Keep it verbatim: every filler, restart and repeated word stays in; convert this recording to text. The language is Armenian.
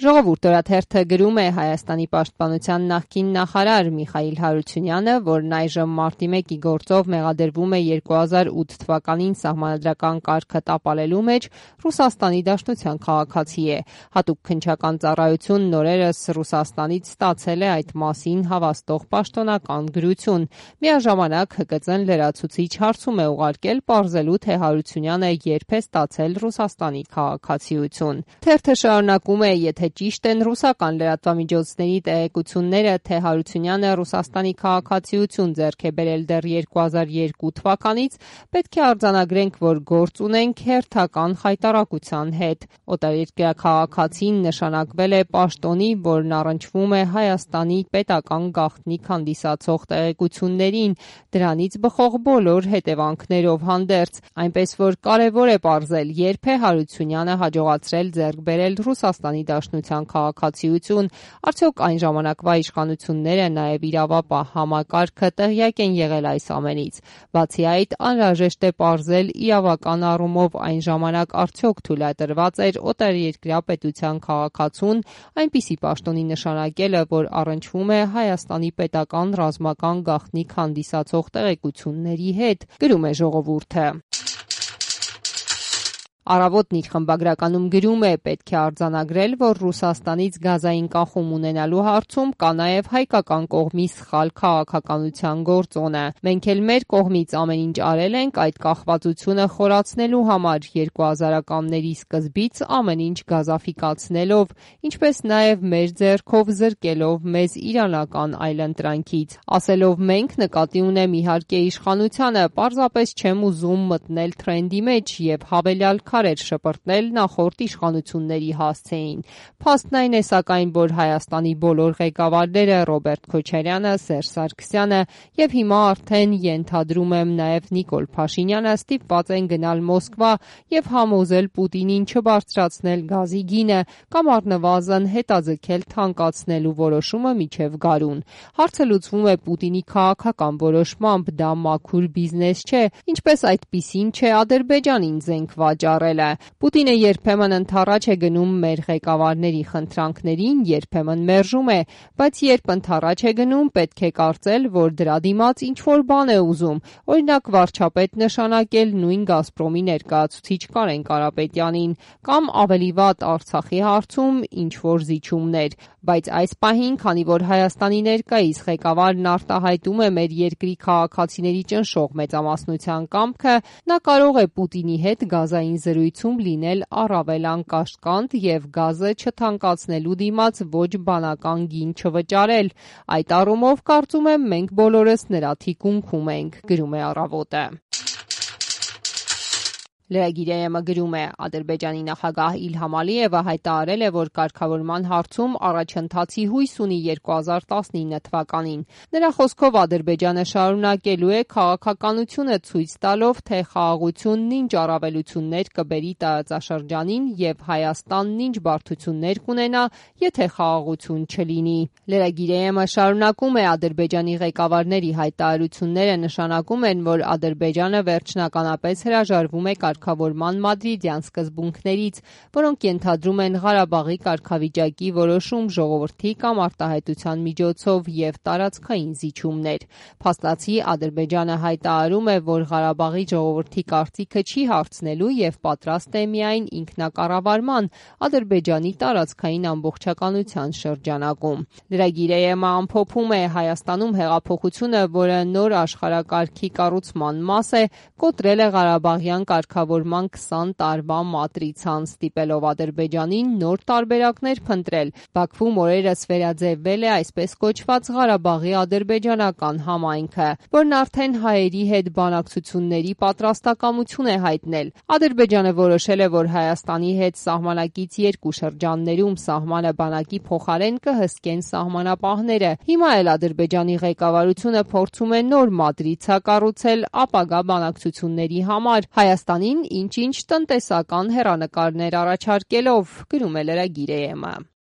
Ժողովուրդ օրաթերթը գրում է Հայաստանի պաշտպանության նախկին նախարար Միխայիլ Հարությունյանը, որն այժմ մարտի մեկի գործով մեղադրվում է երկու հազար ութ թվականին սահմանադրական կարգը տապալելու մեջ Ռուսաստանի Դաշնության քաղաքացի է։ Հատուկ քննչական ծառայությունն օրերս Ռուսաստանից ստացել է այդ մասին հավաստող պաշտոնական գրություն։ Միաժամանակ Հ Կ Ծ-ն լրացուցիչ հարցում է ուղարկել պարզելու, թե Հարությունյանը երբ է ստացել Ռուսաստանի քաղաքացիություն։ Թերթը շարունակում է, եթե ճիշտ են ռուսական լրատվամիջոցների տեղեկությունները, թե Հարությունյանը Ռուսաստանի քաղաքացիություն ձեռք է բերել դեռ երկու հազար երկու թվականից, պետք է արձանագրենք, որ գործ ունենք հերթական խայտառակության հետ։ Օտարերկրյա քաղաքացին նշանակվել է պաշտոնի, որն առնչվում է Հայաստանի պետական գաղտնիք հանդիսացող տեղեկություններին, դրանից բխող բոլոր հետևանքներով հանդերձ, այնպես որ կարևոր է պարզել, երբ է Հարությունյանը հաջողացրել ձեռք բերել Ռուսաստանի Դաշնության քաղաքացիություն, արդյոք այն ժամանակվա իշխանությունները, նաև իրավապահ համակարգը տեղյակ են եղել այս ամենից։ Բացի այդ, անհրաժեշտ է պարզել իրավական առումով այն ժամանակ արդյոք թույլատրված էր օտարերկրյա պետության քաղաքացուն այնպիսի պաշտոնի նշանակելը, որ առնչվում է Հայաստանի պետական ռազմական գաղտնիք հանդիսացող տեղեկությունների հետ, գրում է Ժողովուրդը։ Առավոտն իր խմբագրականում գրում է. պետք է արձանագրել, որ Ռուսաստանից գազային կախում ունենալու հարցում կա նաև հայկական կողմի սխալ քաղաքականության գործոնը։ Մենք էլ մեր կողմից ամեն ինչ արել ենք այդ կախվածությունը խորացնելու համար, երկու հազարականների սկզբից ամեն ինչ գազաֆիկացնելով, ինչպես նաև մեր ձեռքով զրկելով մեզ իրանական այլընտրանքից։ Ասելով մենք, նկատի ունեմ իհարկե իշխանությանը, պարզապես չեմ ուզում մտնել թրենդի մեջ և հավելյալ քարեր շպրտնել նախորդ իշխանությունների հասցեին։ Փաստն այն է սակայն, որ Հայաստանի բոլոր ղեկավարները Ռոբերտ Քոչարյանը, Սերժ Սարգսյանը և հիմա արդեն ենթադրում եմ նաև Նիկոլ Փաշինյանը ստիպված են գնալ Մոսկվա և համոզել Պուտինին չբարձրացնել գազի գինը կամ առնվազն հետաձգել թանկացնելու որոշումը մինչև գարուն։ Հարցը լուծվում է Պուտինի քաղաքական որոշմամբ, դա մաքուր բիզնես չէ, ինչպես այդպիսին չէ Ադրբեջանին զենք վաճառելը։ Պուտինը երբեմն ընդառաջ է գնում մեր ղեկավարների խնդրանքներին, երբեմն մերժում է, բայց երբ ընդառաջ է գնում, պետք է կարծել, որ դրա դիմաց ինչ-որ բան է ուզում, օրինակ վարչապետ նշանակել նույն Գազպրոմի ներկայացուցիչ Կարեն Կարապետյանին, կամ ավելի վատ Արցախի հարցում ինչ-որ զիջումներ։ Բայց այս պահին, քանի որ Հայաստանի ներկայիս ղեկավարն արտահայտում է մեր երկրի քաղաքացիների ճնշող մեծամասնության կամքը, նա կարող է Պուտինի հետ գազային զրույցում լինել առավել անկաշկանդ և գազը չթանկացնելու դիմաց ոչ բանական գին չվճարել։ Այդ առումով կարծում եմ մենք բոլորս նրա թիկունքում ենք, գրում է Առավոտը։ Լրագիր.am-ը գրում է. Ադրբեջանի նախագահ Իլհամ Ալիևը հայտարարել է, որ կարգավորման հարցում առաջընթացի հույս ունի երկու հազար տասնինը թվականին։ Նրա խոսքով Ադրբեջանը շարունակելու է քաղաքականությունը ցույց տալով, թե խաղաղությունն ինչ առավելություններ կբերի տարածաշրջանին և Հայաստանն ինչ բարդություններ կունենա, եթե խաղաղություն չլինի։ Լրագիր.am-ը շարունակում է. Ադրբեջանի ղեկավարների հայտարարությունները նշանակում են, որ Ադրբեջանը վերջնականապես հրաժարվում է կարգավորման մադրիդյան սկզբունքներից, որոնք ենթադրում են Ղարաբաղի կարգավիճակի որոշում ժողովրդի կամ արտահայտության միջոցով և տարածքային զիջումներ։ Փաստացի Ադրբեջանը հայտարարում է, որ Ղարաբաղի ժողովրդի կարծիքը չի հարցնելու և պատրաստ է միայն ինքնակառավարման Ադրբեջանի տարածքային ամբողջականության շրջանակում։ Լրագիր.am-ը ամփոփում է. Հայաստանում հեղափոխությունը, որը նոր աշխարհակարգի կառուցման մաս է, կոտրել է Ղարաբաղյան կարգավորման քսան տարվա մատրիցան, ստիպելով Ադրբեջանին նոր տարբերակներ փնտրել։ Բաքվում օրերս վերաձևվել է այսպես կոչված Ղարաբաղի ադրբեջանական համայնքը, որն արդեն հայերի հետ բանակցությունների պատրաստակամություն է հայտնել։ Ադրբեջանը որոշել է, որ Հայաստանի հետ սահմանակից երկու շրջաններում սահմանը բանակի փոխարեն կհսկեն սահմանապահները։ Հիմա էլ Ադրբեջանի ղեկավարությունը փորձում է նոր մատրիցա կառուցել ապագա բանակցությունների համար, Հայաստանին ինչ-ինչ տնտեսական հեռանկարներ առաջարկելով, գրում է Լրագիր.am-ը։